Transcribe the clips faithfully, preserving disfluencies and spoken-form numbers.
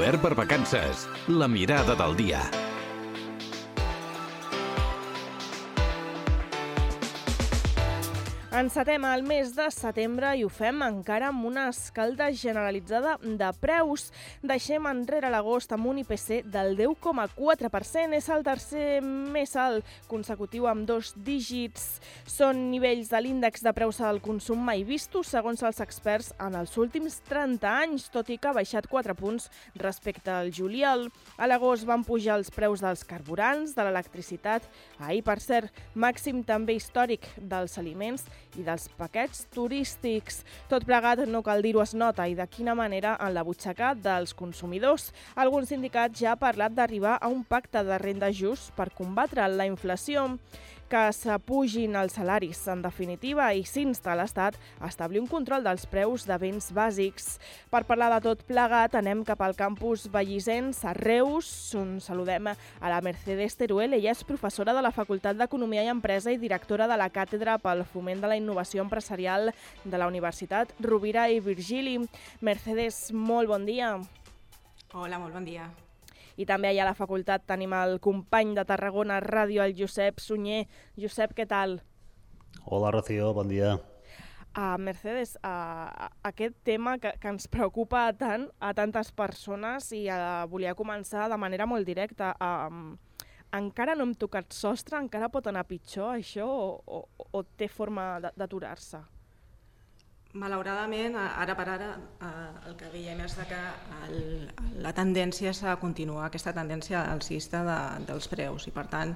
Obert per vacances. La mirada del dia. Encetem el mes de setembre i ho fem encara amb una escalda generalitzada de preus. Deixem enrere l'agost amb un I P C del deu coma quatre per cent. És el tercer més alt consecutiu amb dos dígits. Són nivells de l'índex de preus al consum mai vistos, segons els experts, en els últims trenta anys, tot i que ha baixat quatre punts respecte al juliol. A l'agost van pujar els preus dels carburants, de l'electricitat. Ahir, per cert, màxim també històric dels aliments i dels paquets turístics. Tot plegat, no cal dir-ho, es nota i de quina manera en la butxaca dels consumidors. Algun sindicat ja ha parlat d'arribar a un pacte de renda just per combatre la inflació, que s'apugin els salaris, en definitiva, i s'insta a l'Estat a establir un control dels preus de béns bàsics. Per parlar de tot plegat, anem cap al campus Vallisens, a Reus, on saludem a la Mercedes Teruel. Ella és professora de la Facultat d'Economia i Empresa i directora de la Càtedra pel Foment de la Innovació Empresarial de la Universitat Rovira i Virgili. Mercedes, molt bon dia. Hola, molt bon dia. I també allà a la facultat tenim el company de Tarragona Ràdio, el Josep Sunyer. Josep, què tal? Hola, Rocío, bon dia. Uh, Mercedes, uh, aquest tema que, que ens preocupa tant a tantes persones i uh, volia començar de manera molt directa. Uh, encara no hem tocat sostre? Encara pot anar pitjor això o, o, o té forma d'aturar-se? Malauradament, ara per ara, el que veiem és que el, la tendència és a continuar aquesta tendència alcista de, dels preus i, per tant,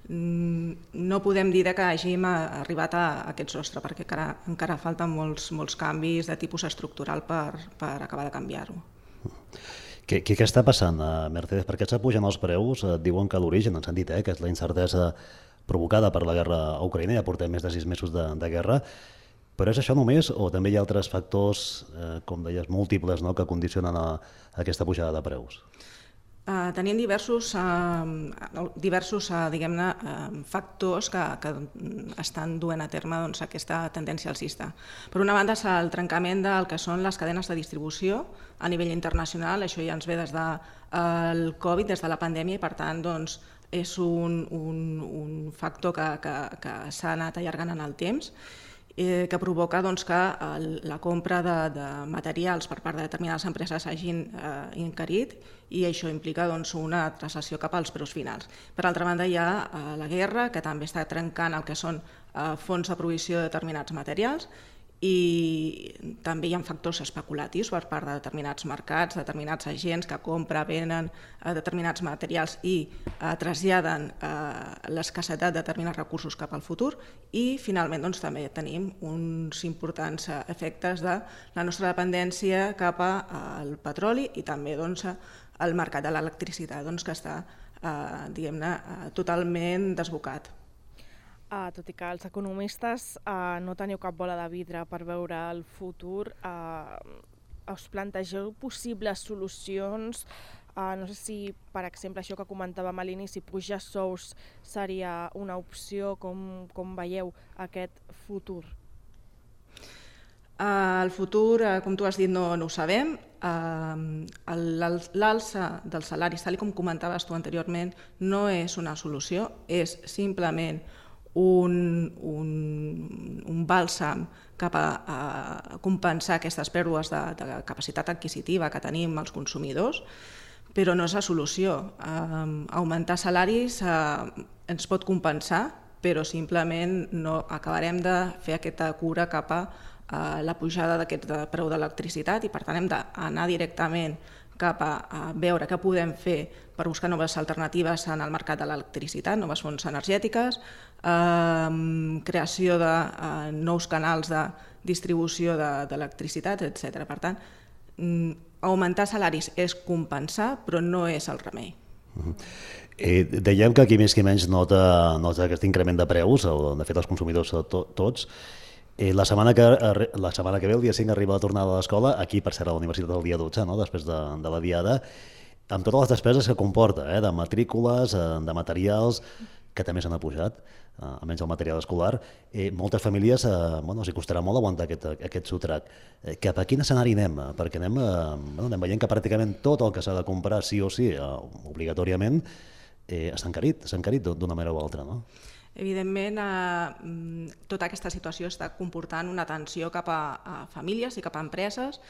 no podem dir que hàgim arribat a aquest sostre perquè encara, encara falten molts, molts canvis de tipus estructural per, per acabar de canviar-ho. Què, què està passant, Mercedes? Per què s'apugen els preus? Diuen que l'origen, ens han dit, eh, que és la incertesa provocada per la guerra a Ucraïna, ja portem més de sis mesos de, de guerra. Però és això només o també hi ha altres factors, eh, com deies, múltiples, no?, que condicionen a, a aquesta pujada de preus? Uh, tenim diversos, uh, diversos uh, diguem-ne, uh, factors que, que estan duent a terme doncs, aquesta tendència alcista. Per una banda, és el trencament del que són les cadenes de distribució a nivell internacional. Això ja ens ve des del Covid, des de la pandèmia, i per tant doncs, és un, un, un factor que, que, que s'ha anat allargant en el temps, Eh, que provoca doncs, que el, la compra de, de materials per part de determinades empreses hagin eh, encarit i això implica doncs, una recessió cap als preus finals. Per altra banda, hi ha eh, la guerra, que també està trencant el que són eh, fons de provisió de determinats materials, i també hi ha factors especulatius per part de determinats mercats, determinats agents que compren, venen determinats materials i eh, traslladen eh, l'escassetat de determinats recursos cap al futur, i finalment doncs, també tenim uns importants efectes de la nostra dependència cap al petroli i també doncs, el mercat de l'electricitat doncs, que està eh, diguem-ne, totalment desbocat. Uh, tot i que els economistes uh, no teniu cap bola de vidre per veure el futur, uh, us plantegeu possibles solucions? Uh, no sé si, per exemple, això que comentàvem a l'inici, pujar sous seria una opció. Com, com veieu aquest futur? Uh, el futur, uh, com tu has dit, no, no ho sabem. Uh, L'alça dels salaris, tal com comentaves tu anteriorment, no és una solució, és simplement Un, un, un bàlsam cap a, a compensar aquestes pèrdues de, de capacitat adquisitiva que tenim els consumidors, però no és la solució. Um, augmentar salaris uh, ens pot compensar, però simplement no acabarem de fer aquesta cura cap a uh, la pujada d'aquest preu de l'electricitat i, per tant, hem d'anar directament cap a, a veure què podem fer per buscar noves alternatives en el mercat de l'electricitat, noves fonts energètiques, eh, creació de eh, nous canals de distribució d'electricitat, de, etcètera. Per tant, augmentar salaris és compensar, però no és el remei. Uh-huh. eh, dèiem que qui més qui menys nota, nota aquest increment de preus, o de fet els consumidors to, tots. Eh, la, setmana que, la setmana que ve, el dia cinc, arriba la tornada a l'escola, aquí per ser a la universitat el dia dotze, no? Després de, de la diada, amb totes les despeses que comporta, eh? De matrícules, de materials, que també s'han pujat, eh, almenys el material escolar. Eh, moltes famílies eh, bueno, els costarà molt aguantar aquest, aquest sotrac. Eh, cap a quin escenari anem? Perquè anem, eh, bueno, anem veient que pràcticament tot el que s'ha de comprar sí o sí, eh, obligatoriament, eh, s'ha encarit, s'ha encarit d'una manera o altra, no? Evidentment, eh, tota aquesta situació està comportant una tensió cap a, a famílies i cap a empreses,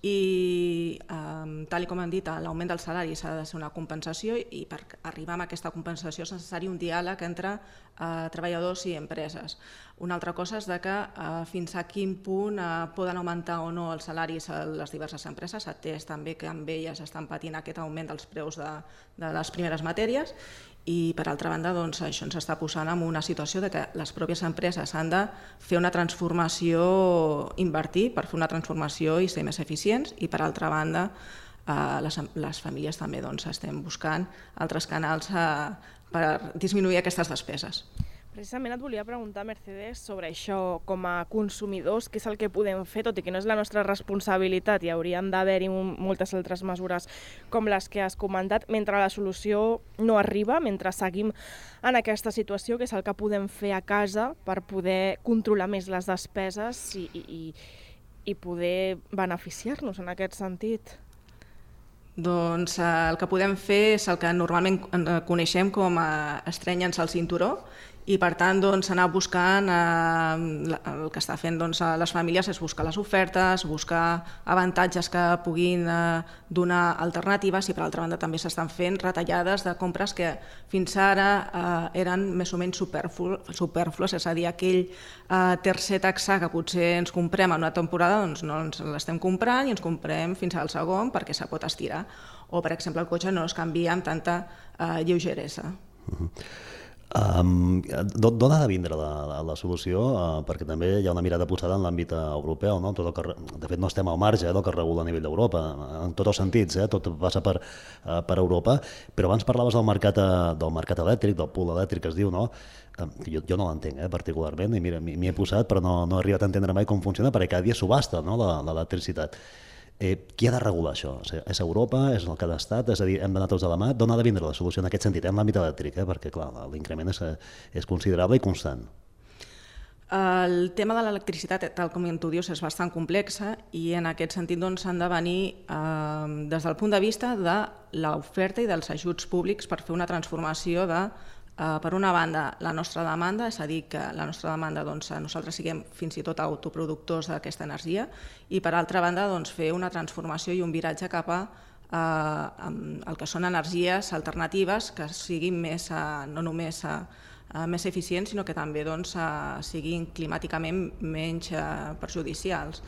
i eh, tal com hem dit, l'augment del salari s'ha de ser una compensació, i per arribar a aquesta compensació és necessari un diàleg entre eh, treballadors i empreses. Una altra cosa és de que eh, fins a quin punt eh, poden augmentar o no els salaris a les diverses empreses, atès també que amb elles estan patint aquest augment dels preus de, de les primeres matèries, i per altra banda doncs, això ens està posant en una situació de que les pròpies empreses han de fer una transformació, invertir per fer una transformació i ser més eficients, i per altra banda eh, les, les famílies també doncs, estem buscant altres canals eh, per disminuir aquestes despeses. Precisament et volia preguntar, Mercedes, sobre això com a consumidors, què és el que podem fer, tot i que no és la nostra responsabilitat i haurien d'haver-hi moltes altres mesures com les que has comentat, mentre la solució no arriba, mentre seguim en aquesta situació, que és el que podem fer a casa per poder controlar més les despeses i, i, i poder beneficiar-nos en aquest sentit. Doncs eh, el que podem fer és el que normalment coneixem com a estrenya'ns al cinturó, i per tant doncs, anar buscant, eh, el que està fent doncs, les famílies és buscar les ofertes, buscar avantatges que puguin eh, donar alternatives, i per altra banda també s'estan fent retallades de compres que fins ara eh, eren més o menys superflues, és a dir, aquell eh, tercer taxar que potser ens comprem en una temporada, doncs no ens l'estem comprant i ens comprem fins al segon perquè se pot estirar, o per exemple el cotxe no es canvia amb tanta eh, lleugeresa. Uh-huh. Um, D'on ha de vindre la, la, la solució? Uh, perquè també hi ha una mirada posada en l'àmbit europeu, no? Tot el que, de fet no estem al marge eh, del que regula a nivell d'Europa, en tots els sentits, eh? Tot passa per, uh, per Europa, però abans parlaves del mercat, uh, del mercat elèctric, del pool elèctric que es diu, no? Uh, jo, jo no l'entenc eh, particularment, i mira, m'hi he posat però no, no he arribat a entendre mai com funciona, perquè cada dia subhasta, no? l'electricitat. Eh, qui ha de regular això? O sigui, és Europa? És el cada estat? És a dir, hem d'anar tots de la mà? D'on ha de vindre la solució en aquest sentit, en l'àmbit elèctric? Eh? Perquè, clar, l'increment és, és considerable i constant. El tema de l'electricitat, tal com tu dius, és bastant complexa, i en aquest sentit doncs, han de venir eh, des del punt de vista de l'oferta i dels ajuts públics per fer una transformació de, eh, per una banda, la nostra demanda, és a dir, que la nostra demanda, doncs, nosaltres siguem fins i tot autoproductors d'aquesta energia, i per altra banda doncs, fer una transformació i un viratge cap a eh, el que són energies alternatives que siguin més, eh, no només eh, més eficients, sinó que també doncs, eh, siguin climàticament menys eh, perjudicials.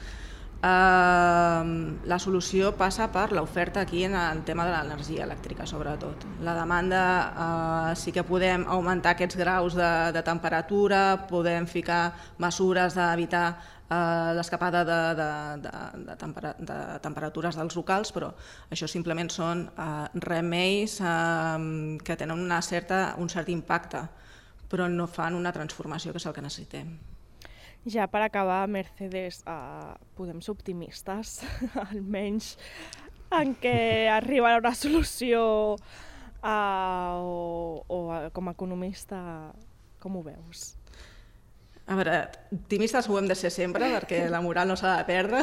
Eh, la solució passa per l'oferta aquí en el tema de l'energia elèctrica, sobretot. La demanda eh, sí que podem augmentar aquests graus de, de temperatura, podem ficar mesures d'evitar eh, l'escapada de, de, de, de, tempera, de temperatures dels locals, però això simplement són eh, remeis eh, que tenen una certa, un cert impacte, però no fan una transformació, que és el que necessitem. Ja per acabar, Mercedes, uh, podem ser optimistes, almenys en què arribarà una solució, uh, o, o com a economista, com ho veus? A veure, optimistes ho hem de ser sempre, perquè la moral no s'ha de perdre,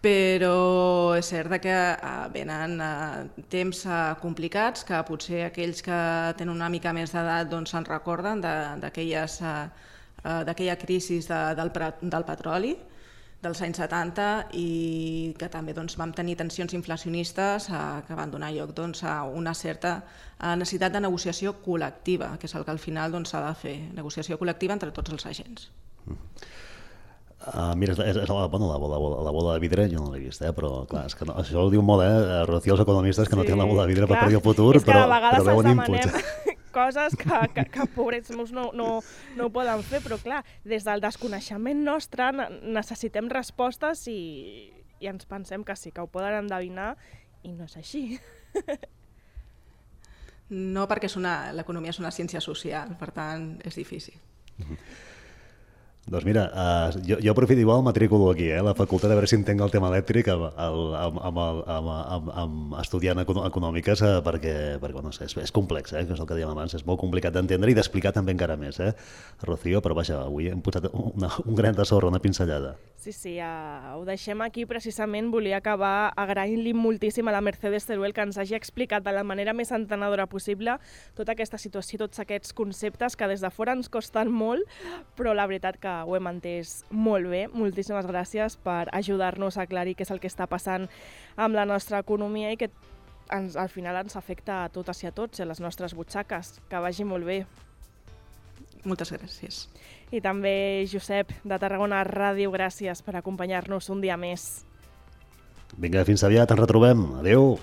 però és cert que venen temps complicats, que potser aquells que tenen una mica més d'edat doncs se'n recorden d'aquelles d'aquella crisi de, del, del petroli dels anys setanta, i que també doncs, vam tenir tensions inflacionistes eh, que van donar lloc doncs, a una certa necessitat de negociació col·lectiva, que és el que al final s'ha doncs, de fer, negociació col·lectiva entre tots els agents. Mm. Uh, mira, és, és la, bueno, la, bola, la bola de vidre jo no l'he vist, eh? Però clar, és que no, això ho diu molt, eh? Rocío, els economistes que sí, no tenen la bola de vidre clar, per predir el futur, però, però veuen inputs. Coses que, que, que pobrets meus no, no, no ho poden fer, però clar, des del desconeixement nostre necessitem respostes i, i ens pensem que sí, que ho poden endevinar, i no és així. No, perquè l'economia és una ciència social, per tant és difícil. Uh-huh. Doncs mira, uh, jo, jo aprofito igual, matriculo aquí, eh, a la facultat, a veure si entenc el tema elèctric amb, amb, amb, amb, amb, amb estudiant econòmiques, eh, perquè, perquè no sé, és, és complex, eh, que és el que dèiem abans, és molt complicat d'entendre i d'explicar també encara més, eh, Rocío, però vaja, avui hem posat una, un gran de sorra, una pinzellada. Sí, sí, uh, ho deixem aquí. Precisament volia acabar agraint-li moltíssim a la Mercedes Teruel que ens hagi explicat de la manera més entenedora possible tota aquesta situació, tots aquests conceptes que des de fora ens costen molt, però la veritat que ho hem entès molt bé. Moltíssimes gràcies per ajudar-nos a aclarir què és el que està passant amb la nostra economia i que ens, al final ens afecta a totes i a tots, a les nostres butxaques. Que vagi molt bé. Moltes gràcies. I també Josep, de Tarragona Ràdio, gràcies per acompanyar-nos un dia més. Vinga, fins aviat, ens retrobem. Adéu.